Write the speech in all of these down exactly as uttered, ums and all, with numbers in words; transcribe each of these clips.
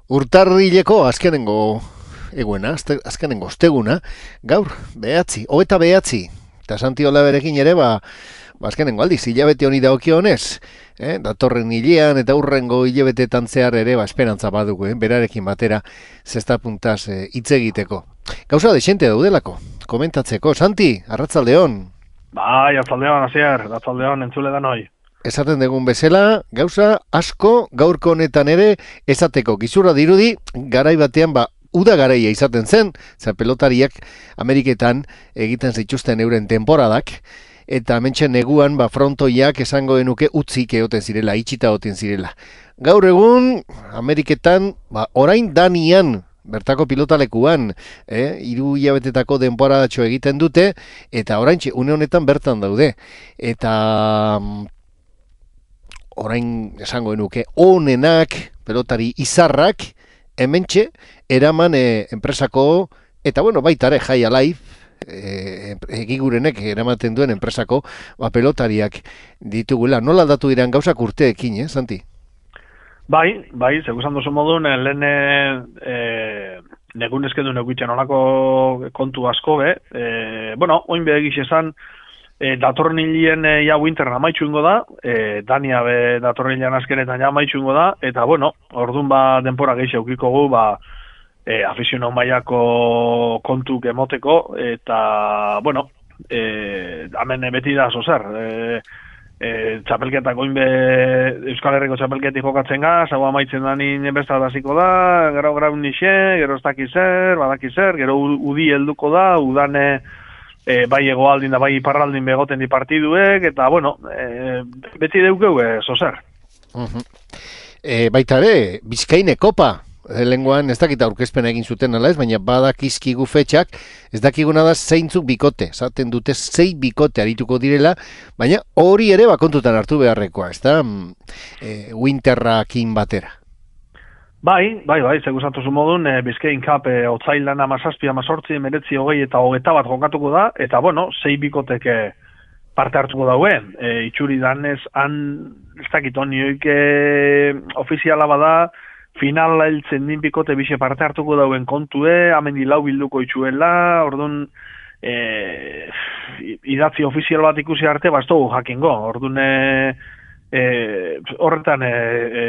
Urtarrileko azkenengo eguena, azte- azkenengo osteguna, gaur, behatzi, hogeita behatzi, eta Santi Olaberekin ere, ba, ba azkenengo aldiz, hilabete honi dagokionez, eh? Datorren hilean eta hurrengo hilabetetan zehar ere, ba, esperantza badugu, eh? Berarekin batera, zesta puntaz eh, hitz egiteko. Gauza desente daudelako, komentatzeko. Santi, arratzaldeon. Bai, atzaldeon, hasier, atzaldeon, entzule da noi. Esaten dugun bezala, gauza asko gaurko honetan ere esateko gizurra dirudi, garai batean ba uda garaia izaten zen, za pelotariak Ameriketan egiten zituzten euren temporadak, eta hementxe neguan ba frontoiak esango genuke utzik egoten zirela, itxita egoten zirela. Gaur egun Ameriketan ba orain danian bertako pilotalekuan, eh, hiru hilabetetako denporadatxo egiten dute, eta oraintxe une honetan bertan daude. Eta orain esango genuke onenak, pelotari izarrak, hementxe eraman e, enpresako, eta bueno, baita ere Jai Alive, e, egigurenek eramaten duen enpresako ba, pelotariak ditugula. Nola aldatu diran gauzak urteekin, eh, Santi? Bai, bai, seguzan duzu modun, lehen e, negun eskendu neguitzen olako kontu asko, be. E, bueno, oin behegiz esan, E, datorren hilien e, ja winter amaitxu ingo da, e, Dania be datorren hilean azkenetan ja amaitxu ingo da, eta bueno, orduan ba denpora gehi eukiko gu, ba, e, afiziono mailako kontuk emoteko, eta bueno, e, hemen beti da zozer, e, e, txapelketak oinbe Euskal Herriko txapelketik jokatzen gaz, hau amaitzen da nien bestat hasiko da, gero grau nixe, gero ez daki zer, badaki zer, gero udi helduko da, udane E, bai egoaldin da bai iparraldin begoten di partiduek, eta bueno, e, beti deukeu e, zozer. Uh-huh. E, baita ere, Bizkaine Kopa, lenguan ez dakita aurkezpen egin zuten ala ez, baina badakizkigu fetxak, ez dakiguna da zeintzuk bikote, zaten dute zei bikote arituko direla, baina hori ere bakontutan hartu beharrekoa, ez da, e, winterrakin batera. Bai, bai, bai, seguzatuzu modun, e, Bizkain Cup e, otzailan amazazpi, amazortzi, emeretzi, hogei eta hogeta bat jokatuko da, eta bueno, zei bikotek e, parte hartuko dauen. E, itxuri danez, han, ez dakit honioik e, ofiziala bada, finala heltzen din bikote bixe parte hartuko dauen kontue, amendi lau bilduko itxuela, orduan, e, idatzi ofizial bat ikusi arte, bastogu jakingo, orduan, e, E, horretan e, e,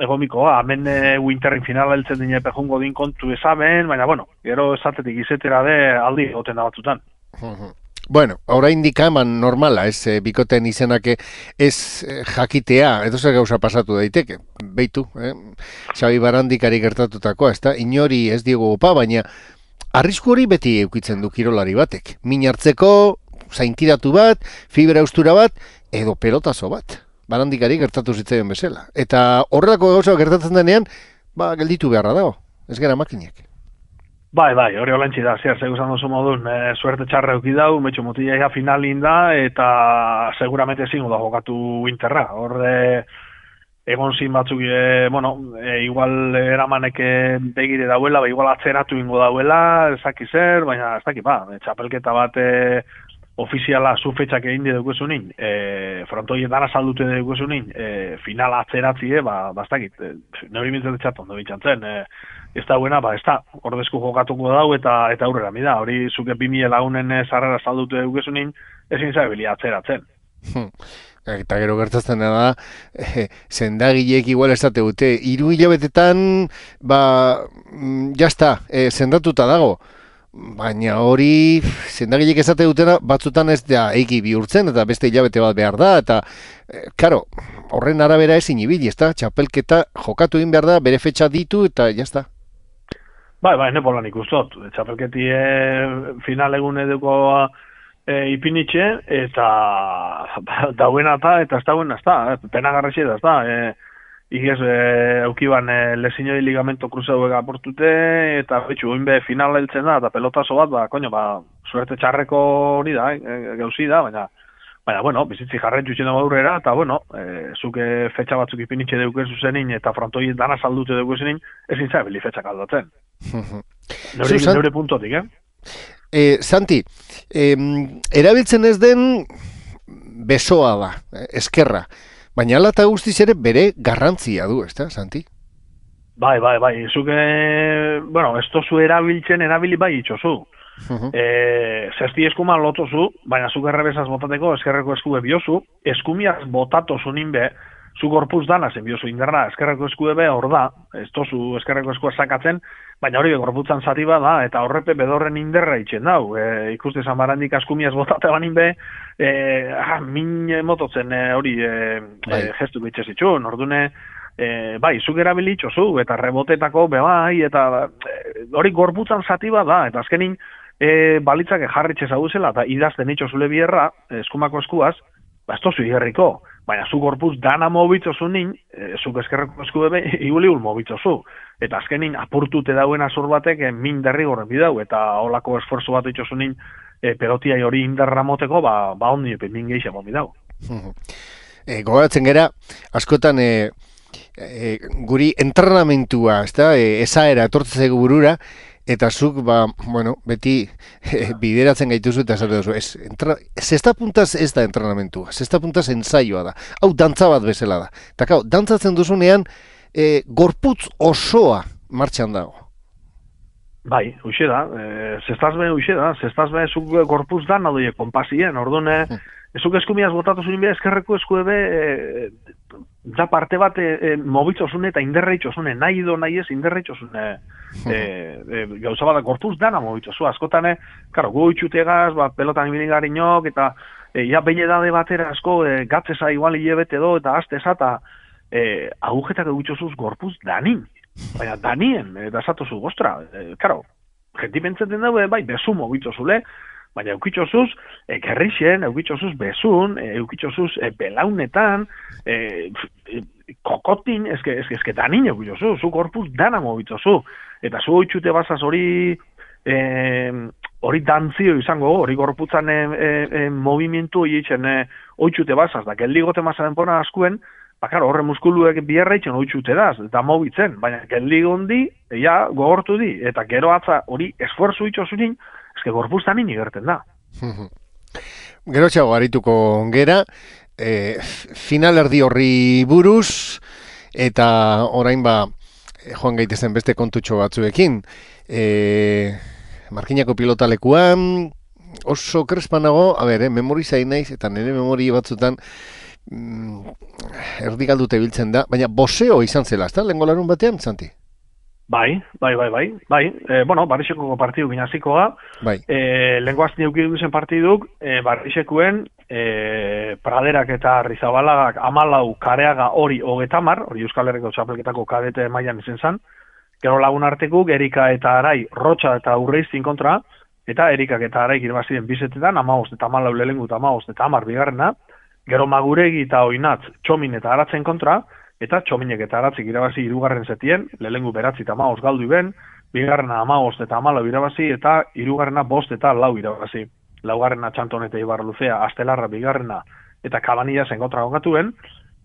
egomikoa, hemen e, winterren finala heltzen dine pejungo din kontu ezamen, baina bueno, gero esatetik izetera de aldi goten da batzutan. Bueno, oraindik eman normala, ez, e, bikoten izenake ez e, jakitea, edo zer gauza pasatu daiteke, beitu, eh? Xabi Barandikari gertatutakoa, ez da, inori ez diego opa, baina arrisku hori beti eukitzen du kirolari batek. Min hartzeko, zaintiratu bat, fibra eustura bat, edo pelotazo bat. Barandikari gertatu zitzaion bezala. Eta horrelako gauza gertatzen denean, ba, gelditu beharra dago, ez gara makinek. Bai, bai, hori olentsi da, zer, seguzan duzu modun, e, suerte txarra euki dau, metxo mutila ja finalin da, eta seguramente zingo da jokatu winterra. Hor, e, egon zin batzuk, e, bueno, e, igual eramaneke begire dauela, ba, igual atzeratu ingo dauela, ezaki zer, baina ez daki, ba, txapelketa bat, e, ofiziala zu fetxak egin deukuzunin, e, frontoien dana saldute deukuzunin, e, finala atzeratzie, ba, bastakit, e, neuri mintzen txaton da bitxantzen, e, ez da buena, ba, ez da, ordezku jokatuko dau eta eta aurrera mida, hori zuke bimile lagunen zarrera saldute deukuzunin, ezin zabili atzeratzen. Hmm. Eta gero gertatzen da, eh, zendagileek igual esate dute, hiru hilabetetan, ba, jazta, eh, sendatuta dago. Baina hori zendagilek esate dutena batzutan ez da egi bihurtzen eta beste hilabete bat behar da eta e, karo, horren arabera ezin ibili, ez da, txapelketa jokatu egin behar da, bere fetxa ditu eta jazta. Bai, bai, nepolan ikustot, txapelketi e, final egun eduko e, ipinitxe eta dauen eta eta ez dauen ez da, penagarrexi da ez da, e, Igez, e, aukiban e, lesinoi ligamento kruzauek aportute, eta betxu, oinbe final heltzen da, eta pelotazo bat, ba, koño, ba, suerte txarreko hori da, e, gauzi da, baina, baina, bueno, bizitzi jarren txutxen dago aurrera, eta, bueno, e, zuke fetxa batzuk ipinitxe deukezu zenin, eta frontoi dana saldute deukezu zenin, ezin zabili fetxak aldatzen. Neure, neure puntotik, eh? E, Santi, e, erabiltzen ez den besoa da, eskerra. Baina ala eta guztiz ere bere garrantzia du, ezta, Santi? Bai, bai, bai, zuke, bueno, ez tozu erabiltzen, erabili bai itxozu. Mhm. E, zesti eskuma lotozu, baina zuk errebesaz botateko eskerreko eskube biozu, eskumiaz botatozu ninbe, zu gorpuz dana zen biozu indarra, eskerreko eskube be hor da, ez tozu eskerreko eskua sakatzen, baina hori gorputzan zati da, eta horrepe bedorren inderra itxen dau. E, ikuste zan barandik askumiaz botate banin be, e, ah, min mototzen e, hori e, Bai. e, gestu bitxe zitxun, ordune, E, bai, zuk erabilitxozu, eta rebotetako, be bai, eta e, hori gorputzan zati da, eta azkenin e, balitzak jarritxe zauzela, eta idazten itxo zule bierra, eskumako eskuaz, ba, ez tozu igerriko, baina zu gorputz dana mobitzozu nin, e, zuk eskerreko eskube be, iguliul mobitzozu, eta azkenin apurtute dauen azor batek e, min derri gorren bidau, eta holako esforzo bat itxozu nin, e, pelotiai hori indarra moteko, ba, ba ondi epe min geixa momi dau. E, gogatzen gera, askotan... E... E, guri entrenamentua, ezta, e, esaera etortzen zaigu burura, eta zuk, ba, bueno, beti e, bideratzen gaituzu eta esate duzu. Ez, entra, zesta puntaz ez da entrenamentua, zesta puntaz ensaioa da. Hau, dantza bat bezala da. Eta kau, dantzatzen duzunean, e, gorputz osoa martxan dago. Bai, huxe da, e, zestaz be huxe da, zestaz be zuk gorputz da nadoie konpasien, ordune, zuk eskumiaz botatu zuen be, eskerreko eskue be, e, da parte bat e, e, mobitzosune eta inderreitxosune, nahi do nahi ez inderreitxosune e, e, gauza bada gorpuz dana mobitzosu, askotane, karo, gu itxutegaz, ba, pelotan ibinigarinok, eta e, ja behin edade batera asko e, gatzeza igual hilebete do, eta azteza, eta e, agujetak egutxosuz gorpuz danin, baina danien, eta esatozu, ostra, e, karo, jenti pentseten daue, bai, bezu mobitzosule, baina eukitxosuz, e, gerrixen, eukitxosuz bezun, e, eukitxosuz e, belaunetan, e, e, kokotin, eske, eske, eske danin eukitxosuz, zu gorpuz dana mobitzozu. Eta zu oitxute bazaz hori, e, hori dantzio izango, hori gorputzan e, e, e, movimientu egiten e, oitxute bazaz, da geldigote mazaren pona askuen, bakar, horre muskuluek biherra itxen oitxute daz, eta mobitzen, baina geldigondi, ja, gogortu di, eta gero atza hori esforzu itxosunin, eske gorpuztan nini gerten da. Gero txago harituko gera, e, final erdi horri buruz, eta orain ba, joan gaitezen beste kontutxo batzuekin. E, Markinako pilotalekuan, oso krespanago, a ber, eh, memori zain naiz, eta nire memori batzutan, mm, erdi galdute biltzen da, baina boseo izan zela, ezta? Lehengo larun batean, Santi? Bai, bai, bai, bai, bai, e, bueno, Barrixeko partidu ginazikoa, bai. e, lenguaz neukidu zen partiduk, e, Barrixekuen, e, Praderak eta Rizabalagak amalau kareaga hori hogetamar, hori Euskal Herriko txapelketako kadete mailan izen zan, gero lagun artekuk, Erika eta Arai, Rotxa eta Urreiztin kontra, eta Erikak eta Arai irabazien bizetetan, amaost eta amalau lehengu eta amaost eta amar bigarrena, gero Maguregi eta Oinatz, Txomin eta Aratzen kontra, eta Txominek eta Aratzik irabazi hirugarren zetien, lehengu beratzi eta amaost galdu iben, bigarrena amaost eta amalau irabazi, eta hirugarrena bost eta lau irabazi. Laugarrena Txanton eta Ibarluzea, Astelarra bigarrena eta Kabanilla zen kontra gokatuen,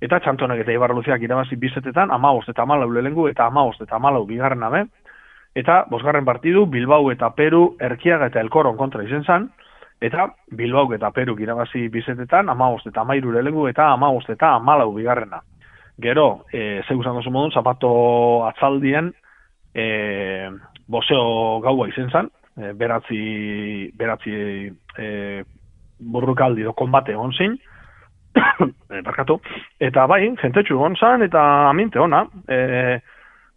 eta Txantonek eta Ibarluzeak irabazi bizetetan, amaost eta amalau lehengu eta amaost eta amalau bigarrena be, eta bosgarren partidu Bilbao eta Peru, Erkiaga eta Elkoron kontra izen zan, eta Bilbao eta Peru irabazi bizetetan, amaost eta amairu lehengu eta amaost eta amalau bigarrena. Gero, e, zeu zan dozu modun, zapato atzaldien e, boseo gaua izen zan, e, beratzi, beratzi e, burrukaldi do konbate egon zin, e, barkatu, eta bai, jentetxu egon zan, eta aminte ona, e,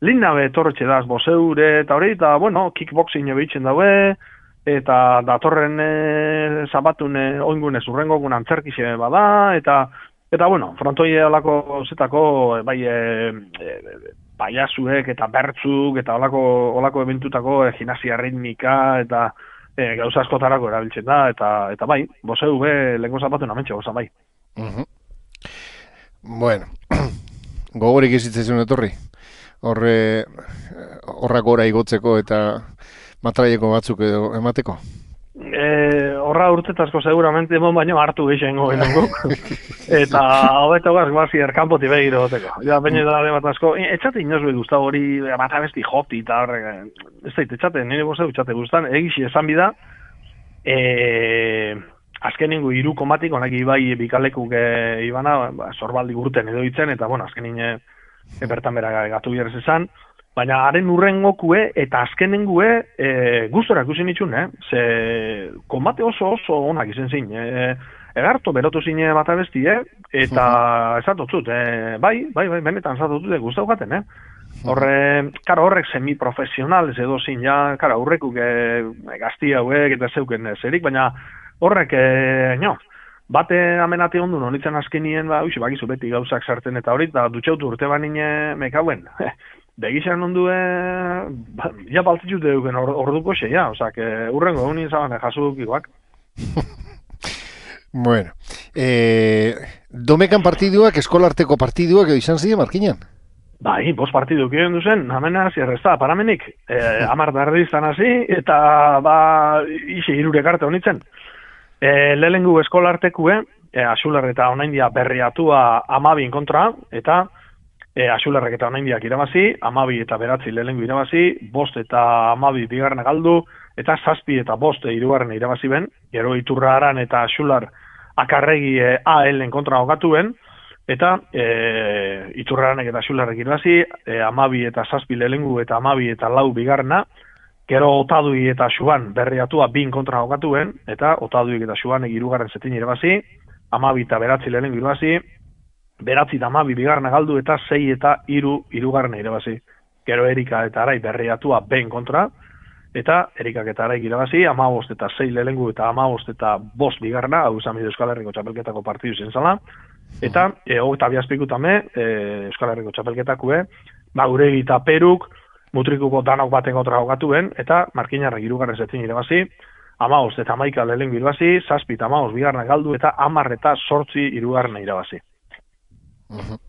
linnabe torretxe daz boseure, eta hori, eta bueno, kickboxing ebeitzen daue, eta datorren e, zapatun e, oingunez urrengogun antzerkixe bada, eta Eta, bueno, frontoi olako zetako, bai, e, e, paiasuek eta bertzuk, eta olako, olako eventutako e, gimnasia ritmika, eta e, gauza askotarako erabiltzen da, eta eta bai, boseu be, lehenko zapatu namentxe, goza bai. Uh-huh. Bueno, gogorik izitzen etorri, horre, horrak gora igotzeko eta matraieko batzuk edo emateko? E, horra urtetazko seguramente emon baino hartu geixengo guk. Eta hobeto gaz guazi erkanpoti begiro goteko. Ja, baina da bat asko. Etxate inoz behi guztau hori bat abesti joti eta horrek. Ez dait, etxate, nire bozeu etxate guztan. Egixi esan bida, e, azken ningu iru komatik, onak ibai bikalekuk e, ibana, ba, zorbaldi gurten edo itzen, eta bueno, azken nine e, bertan bera gatu bierrez esan. baina haren urrengokue eta azkenengue e, gustora ikusi nitxun, eh? Ze konbate oso oso onak izen zin. E, egarto berotu zine bat abestie, eta esatotzut, e, bai, bai, bai, benetan esatotzut, gustau gaten, eh? Horre, karo, horrek semi-profesional ez edo zin, ja, karo, horrekuk e, gazti hauek eta zeuken zerik, baina horrek, e, no, bate amenate ondu nonitzen azkenien, ba, uixi, bakizu beti gauzak sartzen eta hori, da dutxautu urte banine mekauen. Begizan ondu, e, ba, ja baltzitut euken or, orduko xe, ja, osak, e, urrengo egun izan jasuk iguak. Bueno, eh, domekan partiduak, eskolarteko partiduak edo izan ziren, Markinan? Bai, bost partidu kien duzen, amena zierrezta, paramenik, e, amar dardiztan hasi, eta ba, isi irurek arte honitzen. E, lehengu eskolartekue, e, Axular eta onaindia berriatua amabin kontra, eta e, Axularrek eta onaindiak irabazi, amabi eta beratzi lehengu irabazi, bost eta amabi bigarna galdu, eta zazpi eta bost hirugarren irabazi ben, gero Iturra Aran eta Axular akarregi e, A L-en kontra hogatuen, eta e, Iturraranek eta Xularrek irabazi, e, amabi eta zazpi lehengu eta amabi eta lau bigarna, gero Otadui eta Xuan berriatua bin kontra jokatuen, eta Otaduik eta Xuanek hirugarren zetin irabazi, amabi eta beratzi lehengu irabazi, beratzi eta amabi bigarna galdu eta sei eta hiru hirugarren irabazi. Gero Erika eta Arai berriatua bin kontra, eta Erikak eta Araik irabazi, amabost eta sei lehengu eta amabost eta bost bigarna, hau izan bide Euskal Herriko txapelketako partidu zen zala, eta e, hogeta biazpikutame e, Euskal Herriko txapelketakue, ba, Uregi eta Peruk mutrikuko danok baten kontra jokatuen, eta Markinarrek hirugarren zetin irabazi, amabost eta hamaika lehengu irabazi, zazpi eta amabost bigarna galdu, eta hamar eta zortzi hirugarren irabazi. Uh-huh.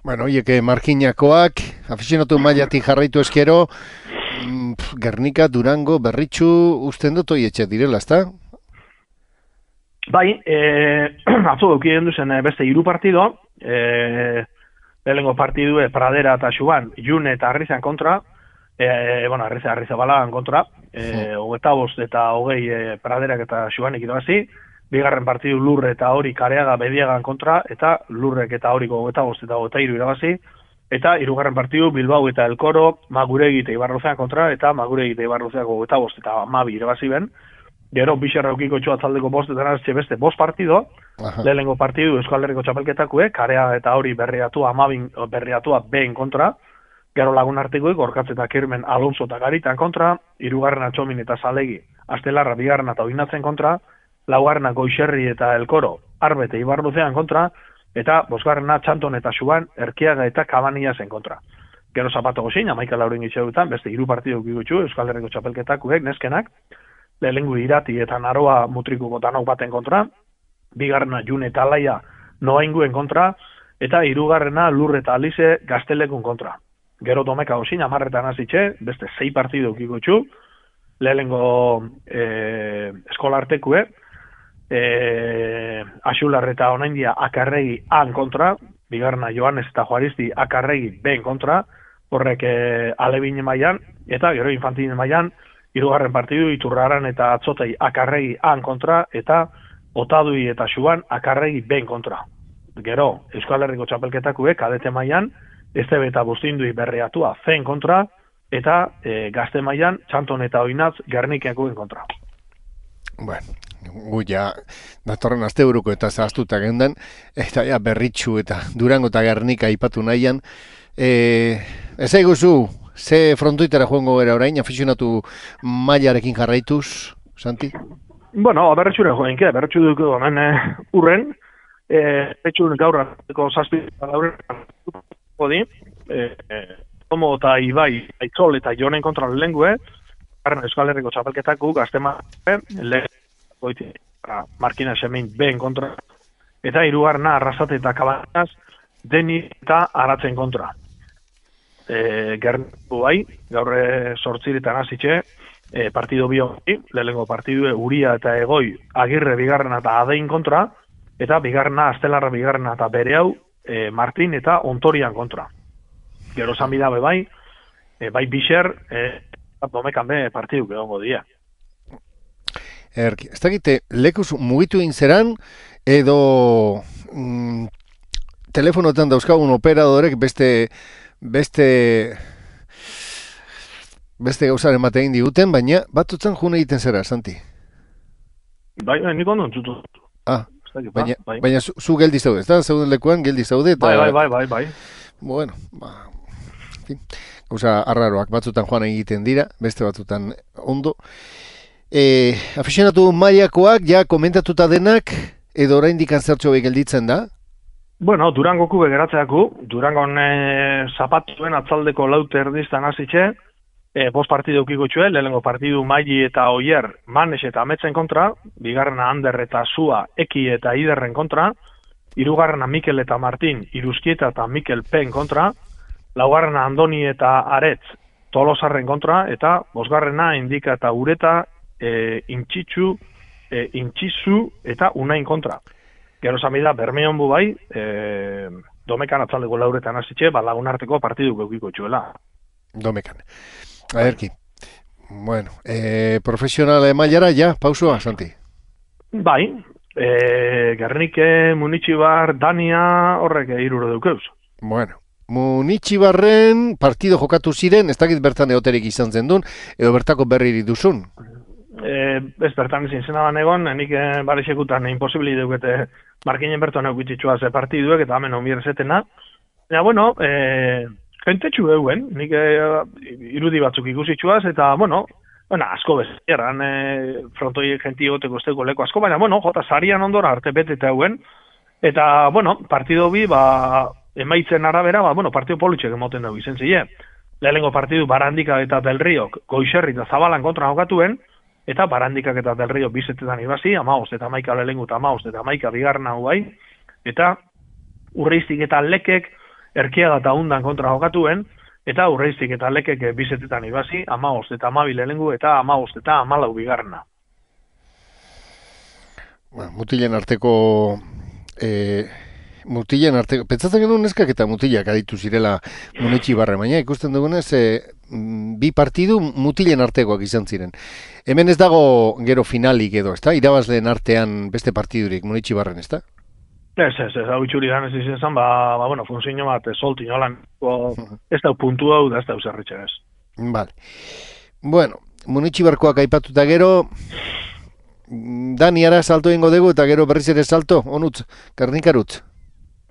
Bueno, oieke, Markinakoak, afizionatu mailatik jarraitu eskero, mm, Gernika, Durango, Berritxu, usten dut oietxe direla, ezta? Bai, e, atzo daukien duzen beste hiru partido, e, lehenengo partidue Pradera eta Xuan, June eta Arrizan kontra, e, bueno, Arrizan Arrizabalagan kontra, e, hogeita bost eta hogei e, Praderak eta Xuanek irabazi, bigarren partidu Lurre eta hori Kareaga Bediagan kontra, eta Lurrek eta horiko hogeita bost eta hogeita hiru irabazi, eta hirugarren partidu Bilbao eta Elkoro, Maguregi eta Ibarruzean kontra, eta Maguregi eta Ibarruzeako hogeita bost eta hamabi irabazi ben. Gero bixarra eukiko txoa taldeko bostetan azte beste bost partido, lehenengo partidu Euskal Herriko txapelketakue, Karea eta hori berriatua amabin, berriatua behin kontra, gero lagun artikoik, Orkatzeta Kirmen Alonso eta Garitan kontra, hirugarrena Txomin eta Zalegi, Astelarra bigarrena eta Oinatzen kontra, laugarrena Goixerri eta Elkoro, Arbe eta Ibarruzean kontra, eta bosgarrena Txanton eta Xuan, Erkiaga eta Kabania zen kontra. Gero Zapato Gozin, amaika lauren gitxeutan, beste hiru partidu gigutxu, Euskal Herriko txapelketakuek, neskenak, lehengu Irati eta Naroa mutrikuko danok baten kontra, bigarrena June eta Alaia noainguen kontra, eta hirugarrena Lur eta Alize Gaztelekun kontra. Gero Domeka Osin, amarretan hasitxe, beste sei partidu ukikotxu, lehengo e, eskolartekue, e, Axular eta Onaindia Akarregi an kontra, bigarrena Joanes eta Juaristi Akarregi ben kontra, horrek e, alebine mailan, eta gero infantine mailan, hirugarren partidu Iturraran eta Atzotei Akarregi an kontra, eta Otadui eta Xuan Akarregi ben kontra. Gero, Euskal Herriko txapelketakue kadete mailan, Estebe eta Bustindui berriatua zen kontra, eta e, gazte mailan Txanton eta Oinatz Gernikakuen kontra. Bueno, gu ja, datorren asteburuko eta zahaztuta gendan, eta ja, Berritxu eta Durango eta Gernika aipatu nahian. E, ez eguzu, ze frontoitara joango gara orain, afizionatu mailarekin jarraituz, Santi? Bueno, berretxure joenke, berretxu duko hemen eh, urren, eh, betxun gaur arteko zazpi gaurren di, eh, eh, Tomo eta Ibai, Aitzol eta Jonen kontra lehengue, Euskal Herriko txapelketaku, gaztema, lehen, Markina Semein ben kontra, eta hirugarrena Arrasate eta Kabanaz, Deni eta Aratzen kontra. E, Gerniku bai, gaur sortziretan hasitxe, e, partido bio, lehenengo partidu Uria eta Egoi, Agirre bigarrena eta Adein kontra, eta bigarrena Astelarra bigarrena eta bere hau, e, Martin eta Ontorian kontra. Gero zanbidabe bai, e, bai Bixer, e, domekan be partidu egongo dira. Erki, ez dakite, lekuz mugitu inzeran, edo mm, telefonotan dauzkagun operadorek beste beste beste gauzaren batean diguten, baina batutzen june egiten zera, Santi. Bai, bai, nik ondo entzutu. Ah, baina, bai. baina zu, zu geldi zaude, ez da? Zeuden lekuan geldi zaude. Eta, bai, bai, bai, bai, bai. Bueno, ba, gauza arraroak batzutan joan egiten dira, beste batzutan ondo. E, afizionatu mailakoak, ja komentatuta denak, edo oraindik zertxo gelditzen da? Bueno, Durangoku begeratzeaku, Durangon e, zapatuen atzaldeko laute erdiztan hasitxe, e, bost partidu ukiko txue, lehenengo partidu Maili eta Oier, Manes eta Ametzen kontra, bigarrena Ander eta Sua, Eki eta Iderren kontra, hirugarrena Mikel eta Martin, Iruzkieta eta Mikel Pen kontra, laugarrena Andoni eta Aretz, Tolosarren kontra, eta bosgarrena Indika eta Ureta, e, Intxitzu, e, Intxizu eta Unain kontra. Gero zamida, Bermeon bu bai, e, Domekan atzaldeko lauretan hasitxe, ba, lagunarteko partidu geukiko txuela. Domekan. Aherki. Bueno, e, profesional mailara, ja, pausua, Santi. Bai, e, Gernike, Munitxibar, Dania, horrek iruro deukeuz. Bueno, Munitxibarren partido jokatu ziren, ez dakit bertan eoterik izan zen duen, edo bertako berriri duzun. E, ez bertan izin zenaban egon, nik e, barixekutan imposibili deukete markinen bertuan eukitxua ze partiduek eta hemen onbier zetena. Ja, bueno, e, jentetxu euen, nik e, irudi batzuk ikusitxuaz, eta, bueno, bueno asko bezieran, e, frontoi jenti goteko esteko leko asko, baina, bueno, jota sarian ondora arte beteta euen, eta, bueno, partido bi, ba, emaitzen arabera, ba, bueno, partido politxek emoten dugu izen zile. Lehenengo partidu Barandika eta Del Riok, Goixerri eta Zabalan kontra jokatuen, eta Barandikak eta Del Rio bizetetan ibasi, amaoz eta amaika lehengu eta amaoz eta amaika bigarren hau bai, eta Urreiztik eta Lekek Erkiaga eta Undan kontra jokatuen, eta Urreiztik eta Lekek bizetetan ibasi, amaoz eta amabi lehengu eta amaoz eta amalau bigarrena. Ba, mutilen arteko... E... Mutilen arteko, pentsatzen genuen neskak eta mutilak aditu zirela Munitxibarre, baina ikusten dugunez e, bi partidu mutilen artekoak izan ziren. Hemen ez dago gero finalik edo, ezta? Irabazleen artean beste partidurik Munitxibarren, ezta? Ez, ez, ez, hau itxuri dan ez izan, ba, ba bueno, funzio bat, soltin, holan, ez da puntu hau da, ez da usarritxe ez. Vale. Bueno, Munitxibarkoak aipatuta gero, Daniara salto ingo dugu eta gero berriz ere salto, onutz, Gernikarutz.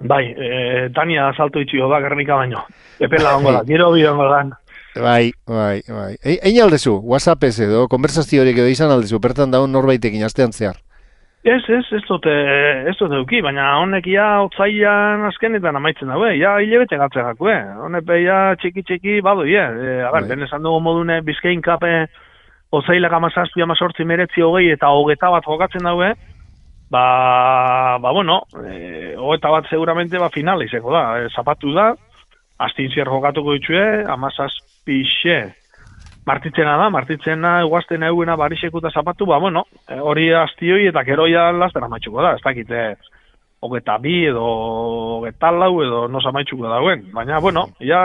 Bai, e, Dania salto itxio da, Gernika baino. Epela ongo da, gero bi ongo da. Bai, bai, bai. E, Ein aldezu, WhatsApp ez edo, konversaziorik edo izan aldezu, bertan daun norbaitekin astean zehar. Ez, ez, ez dute, ez dute duki, baina honek ia otzailan azkenetan amaitzen daue, ja hilebete gatzen jakue. Honek ja txiki-txiki badu, ie. E, a ber, den esan dugu modune Bizkain kape otzailak amazazpi, amazortzi, meretzi, hogei eta hogeta bat jokatzen daue, ba, ba bueno, e, hogeta bat seguramente ba finala izango da, e, zapatu da, astintzier jokatuko ditue, amazazpixe, martitzena da, martitzena eguazten eguena barixeku eta zapatu, ba bueno, e, hori astioi eta keroia lastera maitxuko da, ez dakite, hogeta bi edo hogeta lau edo nosa maitxuko dauen, baina bueno, ja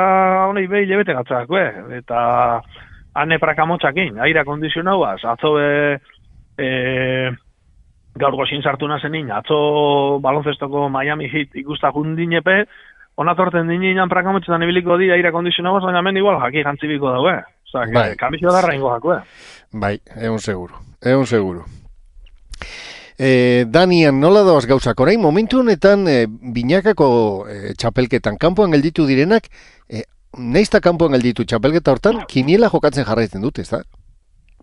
honei behi lebete gatzak, eta ane prakamotxakin, aira kondizionauaz, atzo be, e, gaur gozin sartu nazenin, atzo balonzestoko Miami Heat ikusta jundinepe, onatorten dinean prakamotxetan ibiliko di aire kondizionauaz, baina hemen igual jaki jantzibiko daue. Osa, bai. Kambizio darra ingo jakue. Bai, egun seguro, egun seguro. E, Danian, nola doaz gauzak, orain momentu honetan e, binakako e, txapelketan, kanpoan gelditu direnak, e, neizta kanpoan gelditu txapelketa hortan, kiniela jokatzen jarraitzen dute, ez da?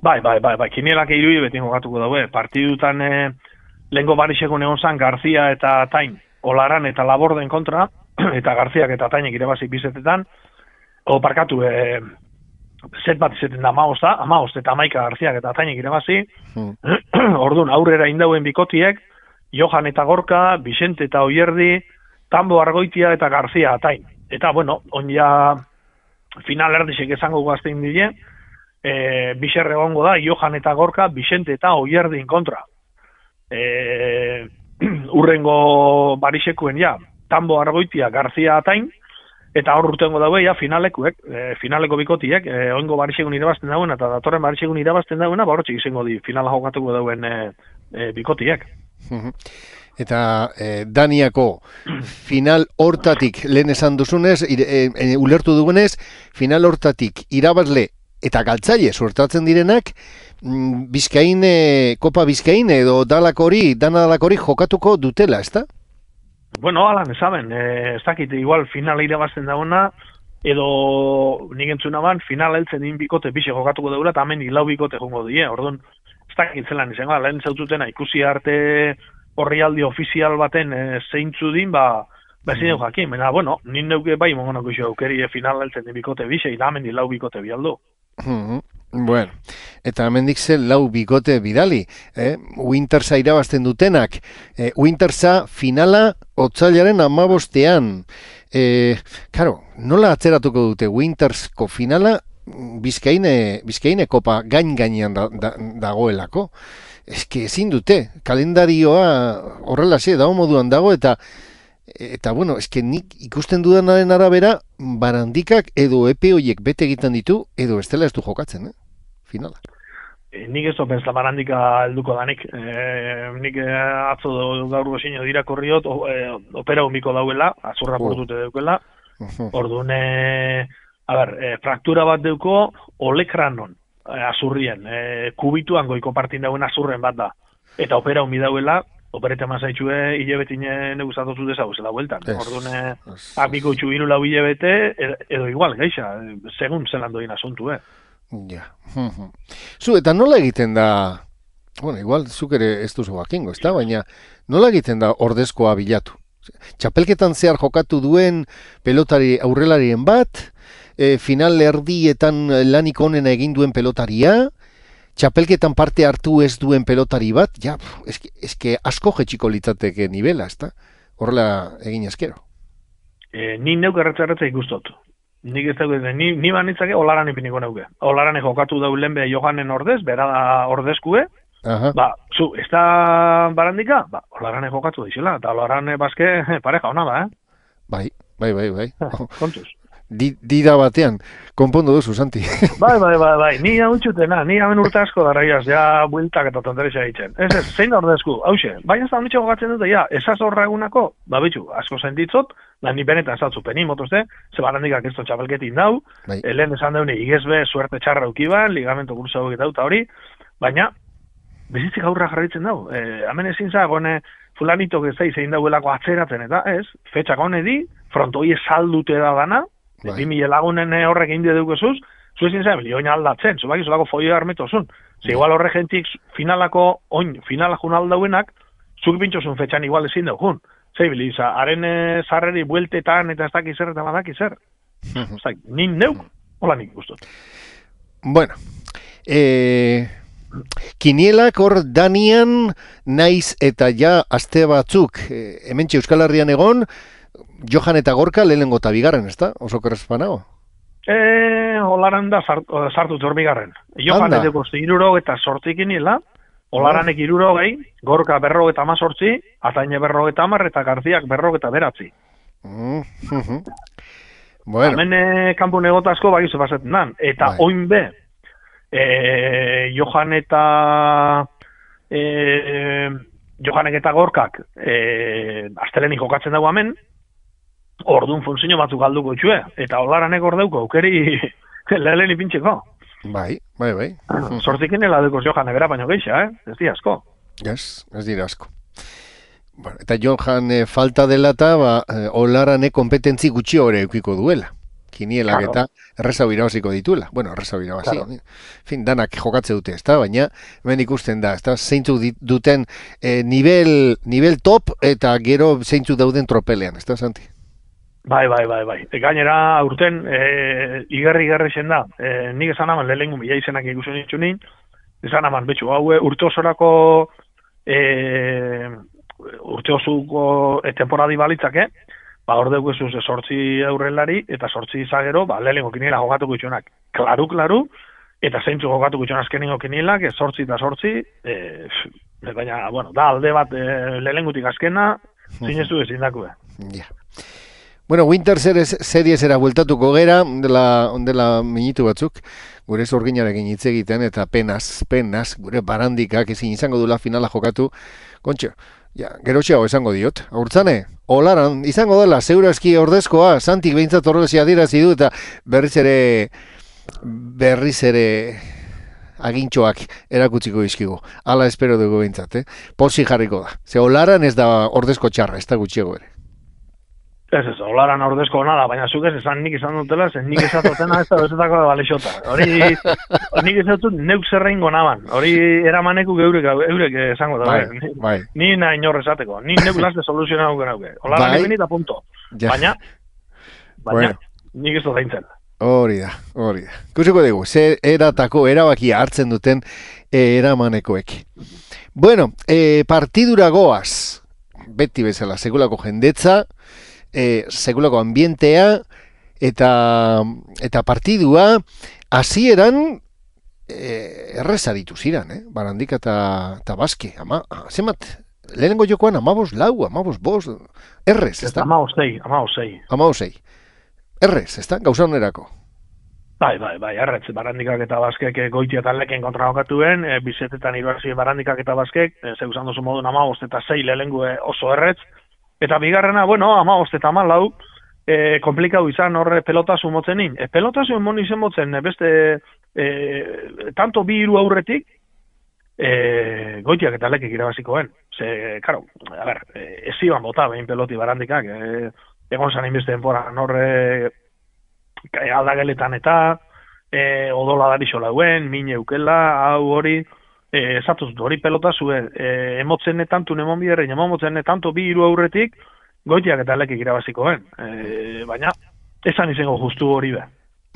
Bai, bai, bai, bai, kinielak irui beti jokatuko daue. Partidutan e, lehenko barixeko egon zan Garzia eta Tain, Olaran eta Laborden kontra, eta Garziak eta Tainek irabazik bizetetan, o parkatu, e, set bat izeten da amaoz da, amaoz eta amaika Garziak eta Tainek irabazi, hmm. Orduan aurrera indauen bikotiek, Johan eta Gorka, Vicente eta Oierdi, Tambo Argoitia eta Garzia Tain. Eta, bueno, on ja final erdisek esango guaztein dile, e, bixerre egongo da, Johan eta Gorka, Vicente eta Oierdin kontra. E, urrengo barixekuen ja, Tambo Argoitia, Garzia Atain, eta hor urtengo daue ja finalekuek, e, finaleko bikotiek, e, oingo barixekun irabazten dauen, eta datorren barixekun irabazten dauen, horretxik izango di finala jokatuko dauen e, e, bikotiek. Eta eh, Daniako final hortatik lehen esan duzunez, ire, e, e, ulertu dugunez, final hortatik irabazle eta galtzaile suertatzen direnak, mm, Bizkaine, Kopa Bizkaine edo dalak hori, dana dalak hori jokatuko dutela, ezta? Bueno, alan, esaben, eh, ez dakit, igual finala irabazten dagoena, edo nik entzuna ban, finala heltzen din bikote bixe jokatuko daula, eta hemen hilau bikote jongo die, orduan, ez dakit zelan izango, lehen zaututena ikusi arte orrialdi ofizial baten e, zeintzu din, ba, ba ezin dugu jakin, baina, bueno, nin neuke bai mongonako iso aukeri finala heltzen din bikote bixe, eta hemen hilau bikote bialdu. Mm-hmm. Bueno, eta hemendik ze lau bikote bidali, eh? Wintersa irabazten dutenak, eh, Wintersa finala otsailaren hamabostean, eh, karo, nola atzeratuko dute Wintersko finala Bizkaine, Bizkaine kopa gain gainean da, da, dagoelako, eske ezin dute, kalendarioa horrelaxe dago moduan dago, eta Eta, bueno, eske nik ikusten dudanaren arabera, Barandikak edo epe horiek bete egiten ditu, edo estela ez du jokatzen, eh? Finala. E, nik ez dopens Barandika helduko danik. E, nik e, atzo gaur gozino dirakorriot, o, e, opera humiko dauela, azurra Oh. portute deukela. Uh-huh. Orduan, e, a ber, e, fraktura bat deuko olekranon, e, azurrien, e, kubituan goiko partin dauen azurren bat da. Eta opera humi dauela, operete mazaitxue hilebetine neguzatotu dezauzela bueltan. Ez, Orduan, ez, apiko itxu hiru lau hilebete, edo, edo igual, geixa, segun zelan doin asuntu, eh? Ja. Mhm. Zu, eta nola egiten da, bueno, igual zuk ere ez duzu jakingo, ezta? Baina nola egiten da ordezkoa bilatu? Txapelketan zehar jokatu duen pelotari aurrelarien bat, e, final erdietan lanik onena egin duen pelotaria, txapelketan parte hartu ez duen pelotari bat, ja, pf, eske, eske asko jetxiko litzateke nivela, ezta? Horrela egin ezkero. E, ni neuk erretza-erretza ikustot. Nik ez dago, ni, ni banitzake olaran ipiniko neuke. Olaran jokatu daulen be Johanen ordez, bera da ordezkue, Aha. ba, zu, ez da Barandika? Ba, olaran jokatu daizela, eta olaran bazke pareja ona da, eh? Bai, bai, bai, bai. Kontuz. Di, dida batean, konpondu duzu, Santi. Bai, bai, bai, bai, ni hau txutena, ni hamen urte asko daraiaz, ja bueltak eta tonterexa egiten. Ez ez, zein da ordezku, hause, baina ez da honitxe gogatzen dute, ja, esaz horra egunako, ba bitxu, asko sentitzot, da ni benetan zatzu peni motozte, ze Barandikak ez to txapelketin dau, Bai. lehen esan daune, igezbe, suerte txarra ukiban, ligamento kursa hori dauta hori, baina, bizitzik aurra jarraitzen dau, e, hemen ezin zagone, fulanitok ez da zein dauelako atzeratzen, eta ez, fetxak honedi, frontoi saldute da dana, Bai. bi mila lagunen horrek indi deukezuz, zu ezin zabe, oin aldatzen, zu baki zulako foio armetozun. Ze igual horre gentik finalako, oin, finala jun aldauenak, zuk bintxozun fetxan igual ezin daukun. Zei biliza, haren e, zarreri bueltetan eta ez daki zer eta badaki zer. Zai, nin neuk, hola nik gustot. Bueno, eh, kinielak hor danian naiz eta ja aste batzuk eh, hementxe Euskal Herrian egon, Johan eta Gorka lehenengo eta bigarren, ezta? Oso kerrezpanago. E, holaran da sartu, sartu zorbigarren. Johan Anda. edeko iruro eta sortik iniela, holaranek iruro gehi, Gorka berro eta mazortzi, Ataine berro eta amar eta Garziak berro eta beratzi. Mm, mhm. Bueno, Hemen e, kanpo negota asko bagizu pasetzen dan. Eta Bai. oin be, e, Johan eta e, Johanek eta Gorkak e, astelenik jokatzen dago hemen, orduan funtzio batzuk galduko itxue, eta holaranek hor dauko, aukeri lehen ipintxeko. bai, bai, bai. Sortikin heladekoz Johan ebera baino geixa, eh? Ez di asko. Ez, ez dira asko. Bueno, eta Johan eh, falta dela eta ba, eh, Olarane kompetentzi gutxi hori eukiko duela. Kinielak Claro. eta errezau irabaziko dituela. Bueno, errezau irabazi. Claro. En fin, danak jokatze dute, ezta? Baina hemen ikusten da, ezta? Zeintzuk dit- duten eh, nivel, nivel top eta gero zeintzuk dauden tropelean, ezta, Santi? Bai, bai, bai, bai. E, gainera, aurten, e, igerri-igerri zen da. E, nik esan aman, lehenengo mila izenak ikusen ditu nin, esan aman, betxu, hau e, urte osorako, e, urte osuko e, temporadi balitzake, ba, hor deukuzuz, e, sortzi aurrelari, eta sortzi izagero, ba, lehenengo kiniela jokatuko itxunak. Klaru, klaru, eta zeintzu jokatuko itxun azkenengo kinielak, e, sortzi eta sortzi, e, f, baina, bueno, da, alde bat, e, lehenengutik azkena, zinestu ezin dakue. Ja. Bueno, Winter Series seriesera bueltatuko gera, ondela, ondela minutu batzuk, gure zorginarekin hitz egiten, eta penaz, penaz, gure Barandikak ezin izango dula finala jokatu. Kontxo, ja, gerotxeago esango diot. Aurtzane, Olaran, izango dela, zeurazki ordezkoa, Santik behintzat horrelezia adirazi du, eta berriz ere berriz ere agintxoak erakutziko dizkigu. Hala espero dugu behintzat, eh? Posi jarriko da. Ze olaran ez da ordezko txarra, ez da gutxiego ere. Ez ez, olaran ordezko nada, baina zuk ez esan nik izan dutela, zen nik esatotena ez da bezetako de balexota. Hori, nik esatut neuk zerrein gonaban. Hori eramaneku geurek, eurek esango da. Bai, bai. Ni nahi inor esateko. Ni neuk laste soluzionau genauke. Olaran Bai. ibeni eta punto. Ja. Baina, baina, Bueno. nik ez dut daintzen. Hori da, hori da. Kusiko dugu, ze eratako erabakia hartzen duten eh, eramanekoek. Bueno, eh, partidura goaz, beti bezala, sekulako jendetza, eh, sekulako ambientea, eta, eta partidua, hasieran eh, errez aritu ziran, eh? Barandika eta, eta Baske, ama, zemat, lehenengo jokoan amabos lau, amabos bost, errez, ez da? Ama osei, ama osei. Amabosei. Errez, ez da? Gauza onerako. Bai, bai, bai, erretz, barandikak eta baskek goitia eta leken kontra jokatuen, e, bizetetan iruarzi barandikak eta baskek, e, zeu zandozu modun amabost eta zei lehengu oso erretz, eta bigarrena, bueno, amabost eta amalau, e, komplikau izan horre pelotazu motzenin. E, pelotazu emon izen motzen, e, beste, e, tanto bi hiru aurretik, e, goitiak eta lekek irabazikoen. Ze, karo, a ber, e, ez iban bota behin peloti barandikak, e, egon zan inbeste denpora, horre aldageletan eta e, odola darixo lauen, mine eukela, hau hori, e, esatuz, hori pelota zuen, e, emotzen tantu nemon biderrein, emotzen tantu bi hiru aurretik, goitiak eta lekik irabazikoen. E, baina, esan izango justu hori be.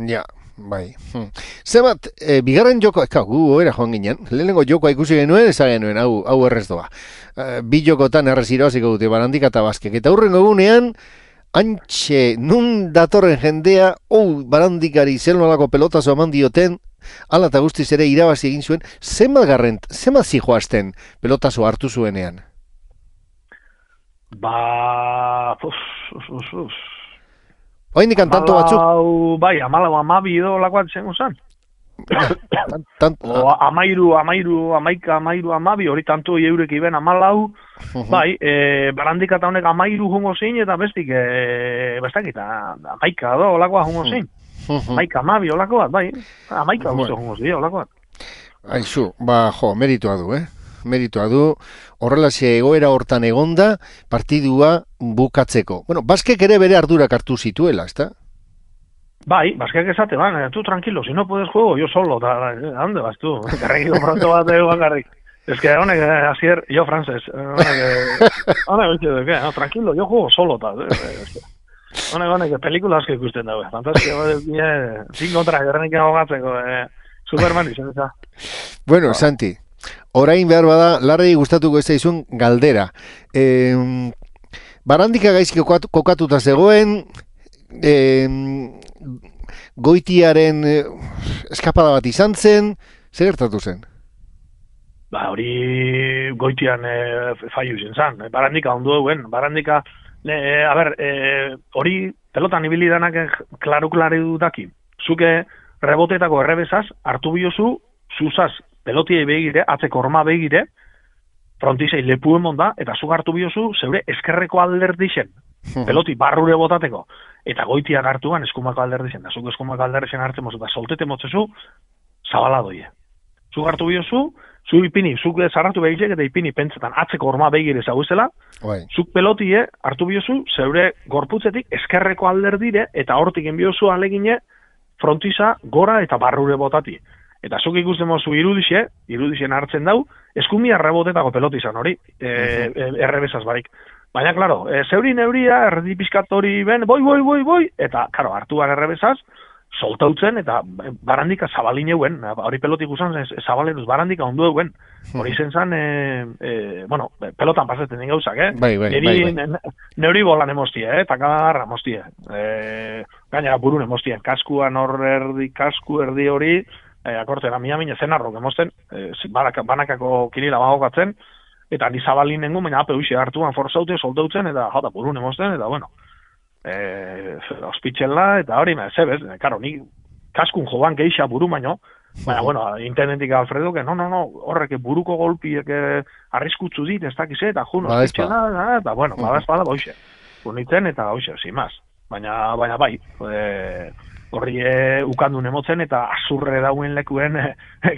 Ja, bai. Hmm. Zebat, e, bigarren joko, eka, gu era joan ginen, lehenengo jokoa ikusi genuen, esan genuen, hau, hau errez doa. E, bi jokotan errez irabaziko dute Barandika eta Baskek, eta hurrengo egunean, antxe, nun datorren jendea, ou, Barandikari zel nolako pelotazo eman dioten, ala eta guztiz ere irabazi egin zuen, zenbat garrent, zenbat zijoazten pelotazo hartu zuenean? Ba... Uf, uf, uf, uf. Oaindik tanto batzuk? Amalau, bai, amalau amabi edo lakoat zengo zan. Tant, O amairu, amairu, amaika, amairu, amabi, hori tanto eurek iben amalau, uh-huh. bai, e, Barandika eta honek amairu jungo zein, eta bestik, e, bestak eta amaika do, olakoa jungo zein. uh-huh. Amaika, amabi, olako bat, bai, amaika guzti Bueno. jungo zein, olako bat. Aizu, ba, jo, meritua du, eh? Meritua du, horrelaxe egoera hortan egonda, partidua bukatzeko. Bueno, Baskek ere bere ardurak hartu zituela, ezta? Bai, baskeak esate, ban, eh, tú tranquilo, si no puedes juego, yo solo, da, da, ¿a dónde vas tú? Garrikiko pronto bat egon garrik. Es que honek, eh, asier, yo francés, eh, honek, eh, honek, oitxe, ¿qué? No, tranquilo, yo juego solo, ta, eh, es que, honek, honek, pelikula asko ikusten daue, fantastia, eh, sin kontra, gerrenik ahogatzeko, eh, Superman izan, eta. Bueno, Santi, orain behar bada, larrei gustatuko ez zaizun galdera. E, Barandika gaizki kokatu- kokatuta zegoen, e, goitiaren eh, eskapada bat izan zen, zer gertatu zen? Ba, hori goitian e, fallu izan zan, e, Barandika ondu duen, Barandika, e, a ber, e, hori pelotan ibili danak klaru-klaru daki. Zuke rebotetako errebezaz, hartu biozu, zuzaz, pelotiei begire, atzeko orma begire, frontisei lepu emon da, eta zuk hartu biozu, zeure eskerreko alderdixen, peloti barrure botateko, eta goitiak hartuan eskumako alderdixen, da zuk eskumako alderdixen hartzen mozu, eta soltete motzezu, zabala doie. Zuk hartu biozu, zu ipini, zuk zarratu behizek eta ipini pentsetan atzeko orma begire zauzela, Bai. zuk pelotie hartu biozu, zeure gorputzetik eskerreko alderdire, eta hortik enbiozu alegine, frontisa gora eta barrure botati. Eta zuk ikusten mozu irudixe, irudixen hartzen dau, eskumia rebotetako pelotizan hori, e, e, errebezaz barik. Baina, klaro, e, zeuri neuria, erdi pizkatori ben, boi, boi, boi, boi, eta, klaro, hartuan errebezaz, soltautzen, eta Barandika zabalin euen, hori pelotik usan, zabaleruz Barandika ondu euen. Hori zen zan, e, e, bueno, pelotan pasetzen den gauzak, eh? Bai, bai, bai, bai. Ne, neuri bolan emostie, eh? Takadarra emostie. E, gainera burun emostien, kaskuan hor erdi, kasku erdi hori, e, akortera miamine zenarrok emosten, e, banaka, banakako kirila bagokatzen, eta ni zabalin nengu, baina ape huxe hartuan forzaute, soltautzen, eta jota burun emosten, eta bueno, e, ospitxela, eta hori, zebez, karo, ni kaskun joan geixa buru baino, baina, bueno, internetik Alfredo, que no, no, no, horrek buruko golpiek arriskutzu dit, ez dakize, eta jun, ospitxela, eta, bueno, bada espada, boixe, unitzen, eta hoxe, sin más. Baina, baina bai, e, horri e, ukandun emotzen, eta azurre dauen lekuen e,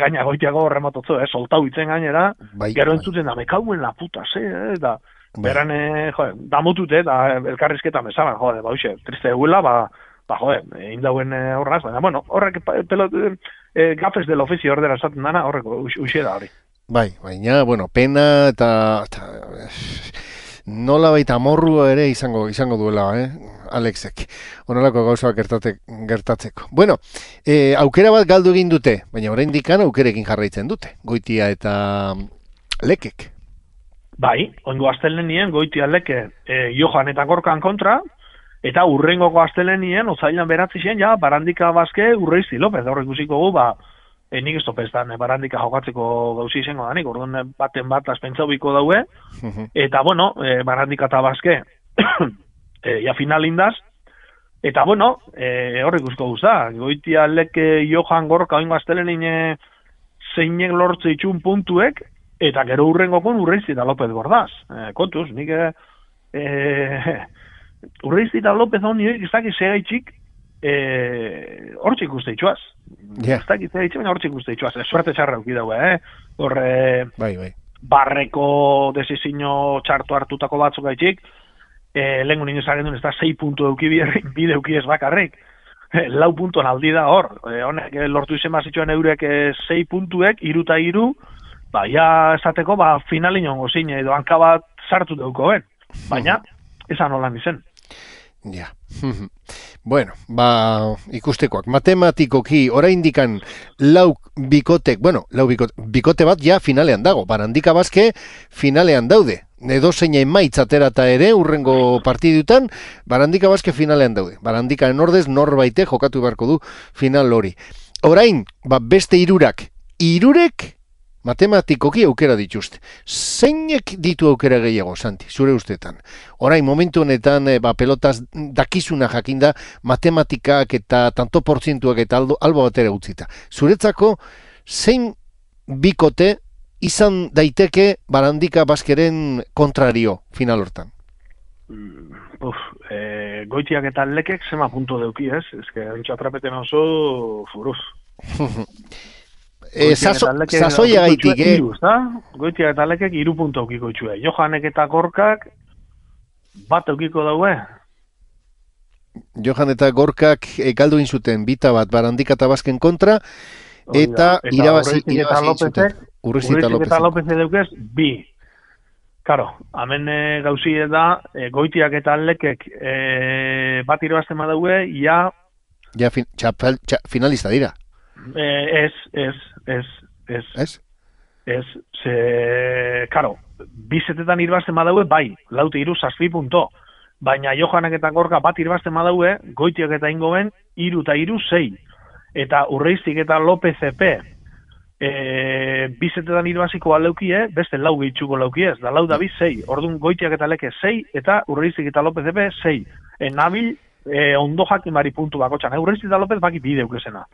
gaina goitiago remototzo, eh, soltau itzen gainera, bai, gero bai. entzuten da, mekauen la puta, ze, eh, eta Bai. beran, e, jode, damutute, eta elkarrizketa mesaban, jode, ba, hoxe, triste eguela, ba, ba, jode, indauen e, horraz, baina, bueno, horrek, pelot, e, gafes del ofizio ordera esaten dana, horrek, uxe da hori. Bai, baina, bueno, pena eta, eta nola baita amorrua ere izango izango duela, eh? Alexek. Honelako gauzak gertate, gertatzeko. Bueno, e, aukera bat galdu egin dute, baina oraindik aukerekin jarraitzen dute. Goitia eta Lekek. Bai, oingo astelenien Goitia Leke e, Johan eta Gorkan kontra, eta urrengoko astelenien otzailan beratzi zen, ja, Barandika Baske Urreizi Lopez, da horrek ikusiko gu, ba, E, nik ez topestan, e, Barandika jokatzeko gauzi izango danik, orduan baten bat azpentzau biko daue, eta bueno, e, Barandika eta Baske, e, ja finalindaz, eta bueno, e, horrek usko guzta, Goitia Leke Johan Gorka oingo astelenin e, zeinek lortze itxun puntuek, eta gero urrengokon Urreizi eta Lopez Bordaz. E, kontuz, nik e, e, Urreizi eta Lopez honi hori izaki segaitxik, Eh, hortxe ikuste itxuaz. Yeah. Ez dakit itxe, baina hortxe ikuste itxuaz. Suerte txarra euki daue, eh? Hor, eh, bai, bai. barreko desizino txartu hartutako batzuk gaitxik, eh, lehen gunin ezagen duen, ez da sei puntu euki bide euki ez bakarrik. Eh, lau puntuan aldi da hor. Eh, honek eh, lortu izen bazituen eurek eh, sei puntuek, iruta iru, ba, ja esateko, ba, finalin ongo zine, edo hanka bat sartu deuko ben. Baina, esan holan izen. Ja. Bueno, ba, ikustekoak. Matematikoki, oraindikan lau bikotek, bueno, lau bikote, bikote bat ja finalean dago. Barandika Baske finalean daude. Edo zein emaitz aterata ere, urrengo partidutan, Barandika Baske finalean daude. Barandikaren ordez norbaite jokatu beharko du final hori. Orain, ba, beste hirurak, hirurek matematikoki aukera dituzte. Zeinek ditu aukera gehiago, Santi, zure ustetan? Orain, momentu honetan, e, ba, pelotaz dakizuna jakinda, matematikak eta tanto portzientuak eta aldo, albo batera utzita. Zuretzako, zein bikote izan daiteke Barandika Baskeren kontrario final hortan? Uf, e, Goitiak eta Lekek zema punto deuki, ez? Ez que, ontsa trapeten oso, furuz. E, Sasoia gaitik, eh? Goitiak eta Lekek iru puntu eukiko itxue. Johanek eta Gorkak bat eukiko daue. Johan eta Gorkak e, galdu inzuten bita bat Barandika eta Basken kontra, eta irabazi inzuten. Urreizi eta Lopez edeukez, bi. Karo, hemen e, gauzi da, e, Goitiak eta Lekek e, bat irabazten badaue, ja... Ja, fin, txapel, txa, finalista dira. Eh, ez, ez, ez, ez. Ez? Ez, ze, karo, bizetetan irabazten badaue, bai, laute iru zazpi punto. Baina Johanek eta Gorka bat irabazten badaue, Goitiak eta Ingoben, iru eta iru zei. Eta Urreizik eta Lopez epe, e, bizetetan irabaziko aleukie, beste lau gehitxuko laukiez, da lau da bi zei. Orduan Goitiak eta Leke zei, eta Urreizik eta Lopez epe zei. E, nabil, e, ondo jakimari puntu bako txan. E, Urreizik eta Lopez baki bi deukezena.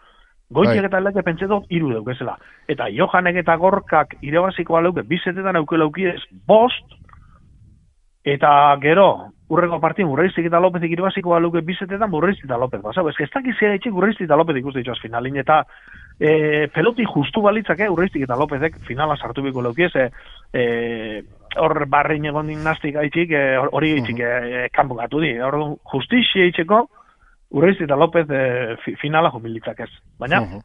Goitiak eta Leke pentsetot iru deukezela. Eta Johanek eta Gorkak irabaziko aleuke, bizetetan euke laukiez, bost, eta gero, urrengo partien, Urreizik eta Lopezik irabaziko aleuke bizetetan, Urreizik eta Lopez. Basau, ez que ez dakizia etxik Urreizik eta Lopez ikuste dituz finalin, eta e, peloti justu balitzake Urreizik eta Lopezek finala sartu biko leukiez, e, e, hor barrein egon dinastik haitxik, hori e, haitxik e, kanpo gatu di. Hor justizia haitxeko, Urreizik eta Lopez e, finala jubilitzak ez. Baina? Uh -huh.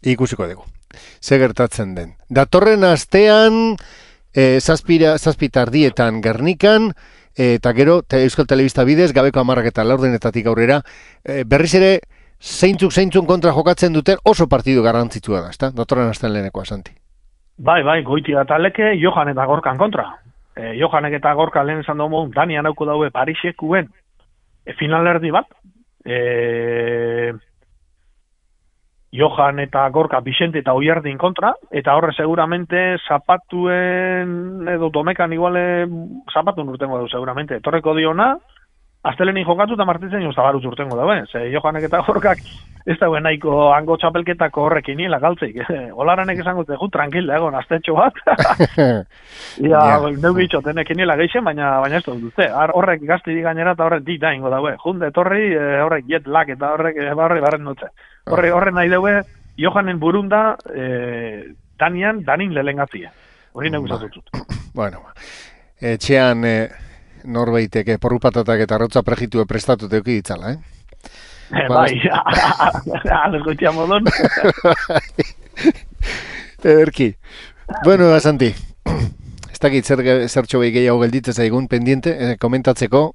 Ikusiko dugu. Ze gertatzen den. Datorren astean, e, zazpira, zazpitardietan Gernikan, e, eta gero, te, Euskal Telebista bidez, gabeko amarrak eta laurdenetatik aurrera, e, berriz ere, zeintzuk zeintzun kontra jokatzen duten oso partidu garrantzitsua da, ezta? Datorren astean lehenekoa, Santi. Bai, bai, Goitia eta Leke, Johan eta Gorkan kontra. E, Johanek eta Gorka lehen esan dugu, Danian auko daue Parisekuen, E, finalerdi bat, e, Johan eta Gorka Bixente eta Oiardin kontra, eta horre seguramente zapatuen, edo domekan iguale zapatun urtengo du seguramente, etorreko diona, astelenin jokatu eta martitzen jo zabaruz urtengo daue. Ze Johanek eta Gorkak ez dauen nahiko hango txapelketako horrekin nila galtzeik. Olaranek esango zegu, tranquil, egon, astetxo bat. Ia, neu bitxo, tenekin nila geixen, baina, baina ez dut dute. Horrek gazti di gainera eta horrek dit da ingo daue. Junde, torri, horrek jet lag eta horrek barri barren dutze. Horre, horre nahi daue, Johanen burunda, eh, Danian, Danin lehengatzia. Hori negu zatutut. Bueno, etxean eh, norbeiteke porrupatatak eta arrotza prejitu prestatute euki ditzala, eh? Eh, bai, ales goitia modon. Erki. Bueno, Santi, ez dakit zer, zertxo behi gehiago gelditze zaigun pendiente, eh, komentatzeko.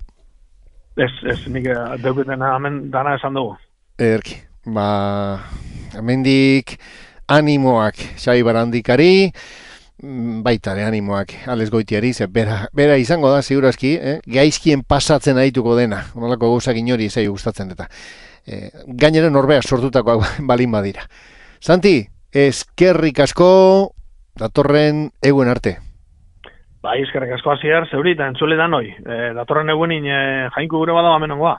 Ez, ez, nik deuketena hemen dana esan dugu. Erki, ba, hemendik animoak Xabi Barandikari, baita ere animoak Ales Goitiari, ze bera, bera izango da, segurazki, eh? gaizkien pasatzen adituko dena, onolako gauzak inori zai gustatzen eta. Eh, gainera norbea sortutakoak balin badira. Santi, eskerrik asko datorren eguen arte. Bai, eskerrik asko hasier, zeuri eta entzule da noi. E, datorren egunin e, jainku gure bada bamenongoa.